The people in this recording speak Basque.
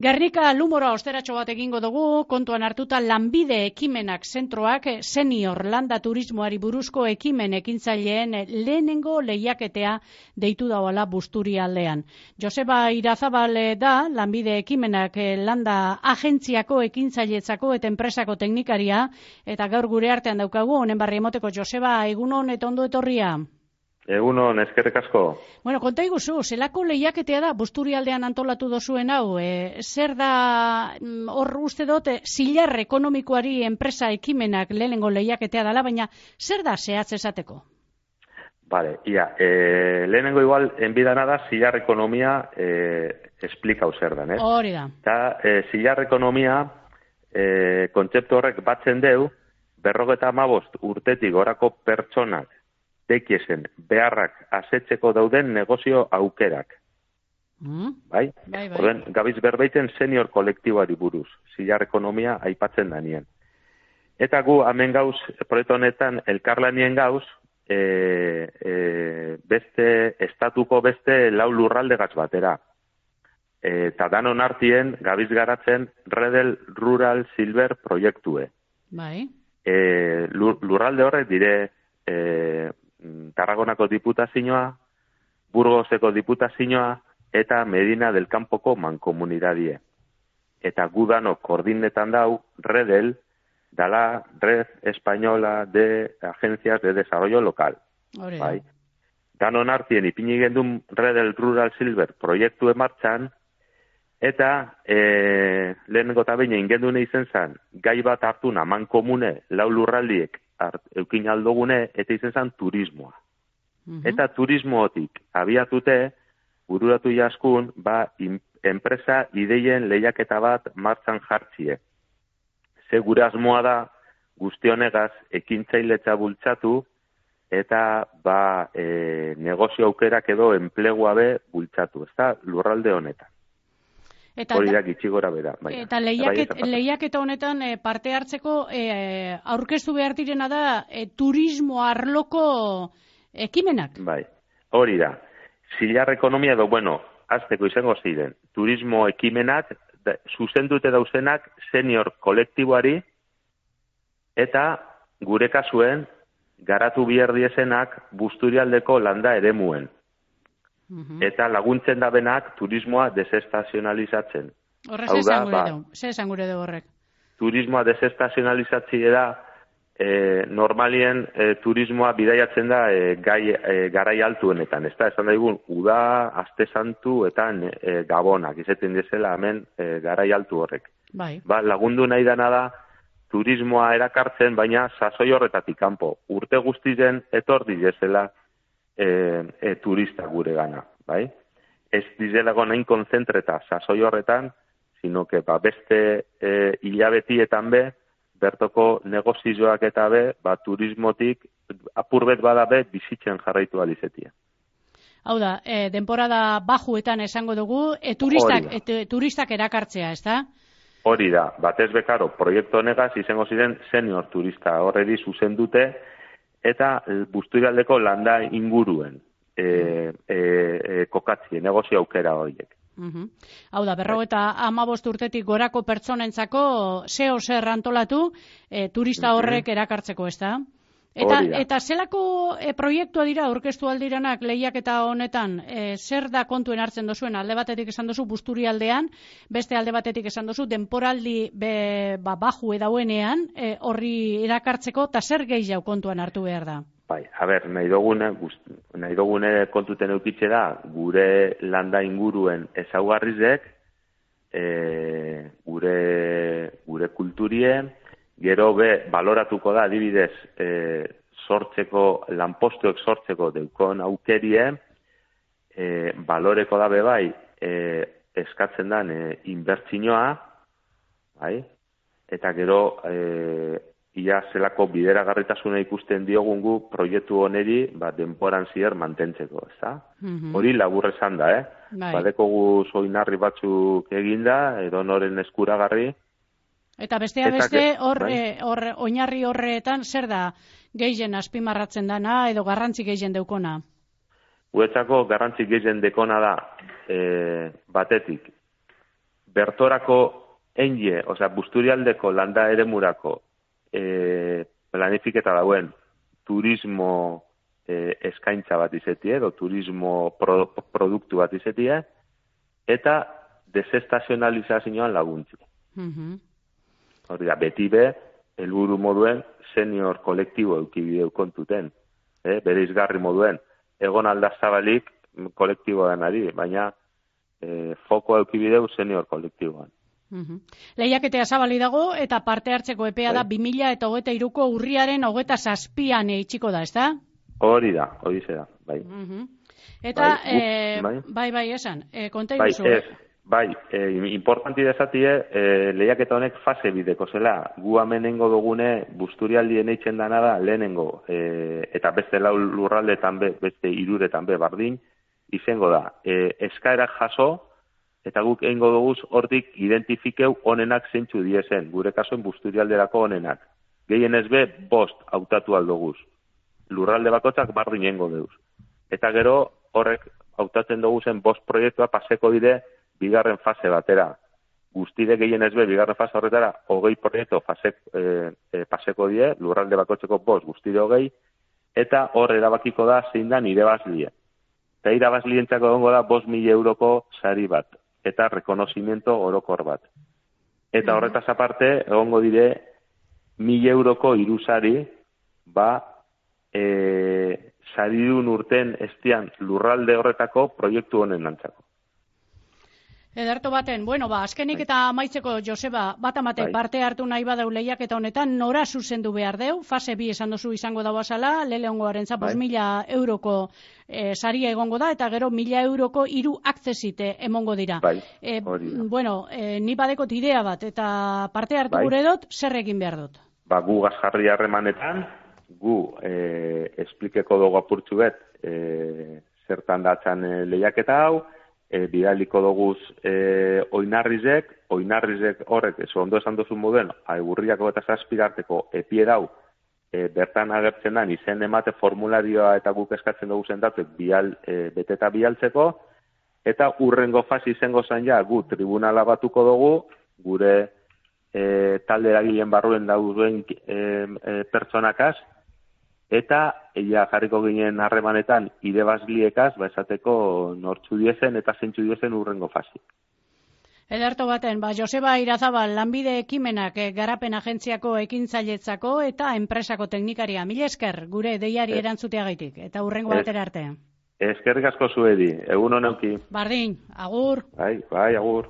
Gernika lumora osteratxo bat egingo dugu, kontuan hartuta lanbide ekimenak zentroak senior landa turismoari buruzko ekimen ekintzaileen lehenengo lehiaketea deitu dauala Busturialdean. Joseba Irazabal da lanbide ekimenak landa agentziako ekintzailetzako eta enpresako teknikaria, eta gaur gure artean daukagu, honen barri emoteko. Joseba, egunon eta ondo etorria. Egunon, eskerrik asko. Bueno, konta iguzu, zelako lehiaketea da Busturialdean antolatu dozuen hau? Zer da, hor uste dut, zilar ekonomikoari enpresa ekimenak lehenengo lehiaketea dela, baina zer da zehatz esateko? Vale, lehenengo igual, enbidana da, zilar ekonomia esplikau zer dan, Hori da. Eta zilar ekonomia kontzeptu horrek batzen deu, 55 urtetik gorako pertsonak tekiesen beharrak asetzeko dauden negozio aukerak. Bai? Orden, gabiz berbaiten senior kolektiboari buruz, zilar ekonomia aipatzen danien. Eta gu, hemen gauz, proiektu honetan, elkarlanien gauz, estatuko beste 4 lurralde gatz batera. Eta danon artien, gabiz garatzen, Redel Rural Silver proiektue. Bai. Lurralde horrek dire, Tarragonako diputazioa, Burgoseko diputazioa eta Medina del Campoko mankomunidadie. Eta gudano koordinetan dau Redel dala Red Española de Agencias de Desarrollo Local. Bai. Danon artien ipini gendun Redel Rural Silver proiektu martxan, eta lehenengo eta baina ingendune izen zan, gai bat hartuna mankomune 4 lurraldiek eukin aldogune, eta izen zan turismoa. Eta turismotik abiatute, bururatu jaskun, enpresa ideien lehiaketa bat martxan jartzie. Ze gure asmoa da, guztionegaz, ekintzailetza bultzatu, eta negozio aukerak edo enplegua be bultzatu, ez da, lurralde honetan. Hori da gitxi gora bera. Eta lehiaketa honetan parte hartzeko aurkeztu behar direna da turismo arloko ekimenak. Bai, hori da. Zilar ekonomia edo, azteko izango ziren, turismo ekimenak zuzendute dauzenak senior kolektiboari eta gure kasuen garatu bihar diezenak Busturialdeko landa eremuen. Eta laguntzen dabenak turismoa desestazionalizatzen. Horrez esan gure dugu horrek. Turismoa desestazionalizatzea da, normalien turismoa bidaiatzen da garai altuenetan. Ez da, esan daigun, uda, aste santu eta gabonak, izaten dizela hemen garai altu horrek. Bai. Lagundu nahi dana da, turismoa erakartzen, baina sasoi horretatik kanpo. Urte guztizen etor dizela turista gure gana, bai? Ez dizelago nahin konzentreta sasoi horretan, sino que beste hilabetietan be, bertoko negozioak eta be, turismotik apurbet bada be, bizitzen jarraitu alizetia. Hau da, denporada bajuetan esango dugu, turistak erakartzea, ez da? Hori da, batez bekaro, proiektu honegaz izango ziren senior turista horredi zuzen dute, eta Busturialdeko landa inguruen kokatzie, negozio aukera horiek. Hau da, 55 urtetik gorako pertsonentzako zer antolatu turista horrek erakartzeko, ez da? Eta zelako proiektua dira aurkeztu aldiranak lehiaketa honetan, zer da kontuen hartzen dozuen? Alde batetik esan dozu Busturialdean, beste alde batetik esan dozu denporaldi baju edauenean horri erakartzeko, eta zer gehiago kontuan hartu behar da? Bai, nahi dugune kontuten eukitze da, gure landa inguruen ezaugarrizek, gure kulturien, gero baloratuko da, adibidez, lanpostuek sortzeko deukon aukerie, baloreko da bai, eskatzen dan inbertsioa, bai, eta gero, ia zelako bideragarritasuna ikusten diogungu proiektu honeri, denporan zier mantentzeko, ez da? Hori labur esan da, Badekogu soinarri batzuk eginda, edo noren eskuragarri, Eta beste, oinarri horretan, zer da gehien azpimarratzen dana, edo garrantzi gehien deukona? Guretzako garrantzi gehien dekona da, batetik, bertorako enge, Busturialdeko landa eremurako planifiketa dauen turismo eskaintza bat izetie, edo turismo produktu bat izetie, eta desestazionalizazioan laguntzi. Hori da, beti helburu moduen senior kolektibo eukibideu kontuten. Bere izgarri moduen, egon aldazabalik kolektiboan ari, baina foko eukibideu senior kolektiboan. Lehiaketea zabali dago eta parte hartzeko epea da 2023ko urriaren 27an itxiko da, ezta? Hori da, hori zera, bai. Eta, bai, esan, konta iguzu. Importanti dezatie, lehiaketa honek fase bideko zela, gu amenengo dugune Busturialdien eitzen dana da lehenengo, eta beste lau lurraldetan beste iruretan bardin, izango da, eskaerak jaso, eta guk egingo duguz hortik identifikeu onenak zeintzu diezen, gure kasuen Busturialderako onenak. Gehienez 5 hautatu aldoguz. Lurralde bakotzak bardin egingo duguz. Eta gero horrek hautatzen duguzen 5 proiektua paseko dire bigarren fase batera. Guztide gehienez bigarren fase horretara 20 proiektu paseko die, lurralde bakotzeko 5, guztide 20, eta hor erabakiko da zein da irabazlie. Eta irabazlientzako egongo da 5.000 euroko sari bat, eta rekonozimiento orokor bat. Eta horretaz aparte, egongo dire 1.000 euroko irusari, saridun urten estian lurralde horretako proiektu honen nantzako. Ederto baten, azkenik eta amaitzeko, Joseba, bat amate parte hartu nahi badau lehiaketa honetan, nora zuzendu behar deu, fase 2 esan duzu izango dago azala, leleongoaren 5.000 euroko saria egongo da, eta gero 1.000 euroko 3 akzesite emongo dira. Ni badekot idea bat, eta parte hartu gure dut, zer egin behar dut? Gu gazjarri harremanetan, gu esplikeko dugu apurtxu bet, zertan datzan lehiaketa hau, bidaliko doguz oinarrizek horrek, ondo esan duzun moduen, Aigurriako eta Zazpigarteko epie dau, bertan agertzen da, izen emate formularioa eta guk eskatzen dugu zendatzek beteta bialtzeko, eta urrengo fasi izango zen ja, gu tribunala batuko dugu, gure talde eragileen barruen dauden pertsonakaz, eta jarriko ginen harremanetan idebazliekaz, esateko nortzu diezen eta zeintzu diezen urrengo fasi. Ederto baten, Joseba Irazabal, lanbide ekimenak garapen agentziako ekintzailetzako eta enpresako teknikaria. Mila esker, gure deiari erantzuteagaitik, eta urrengo batera arte. Eskerrik asko zuedi, egun honeuki. Bardin, agur. Bai, agur.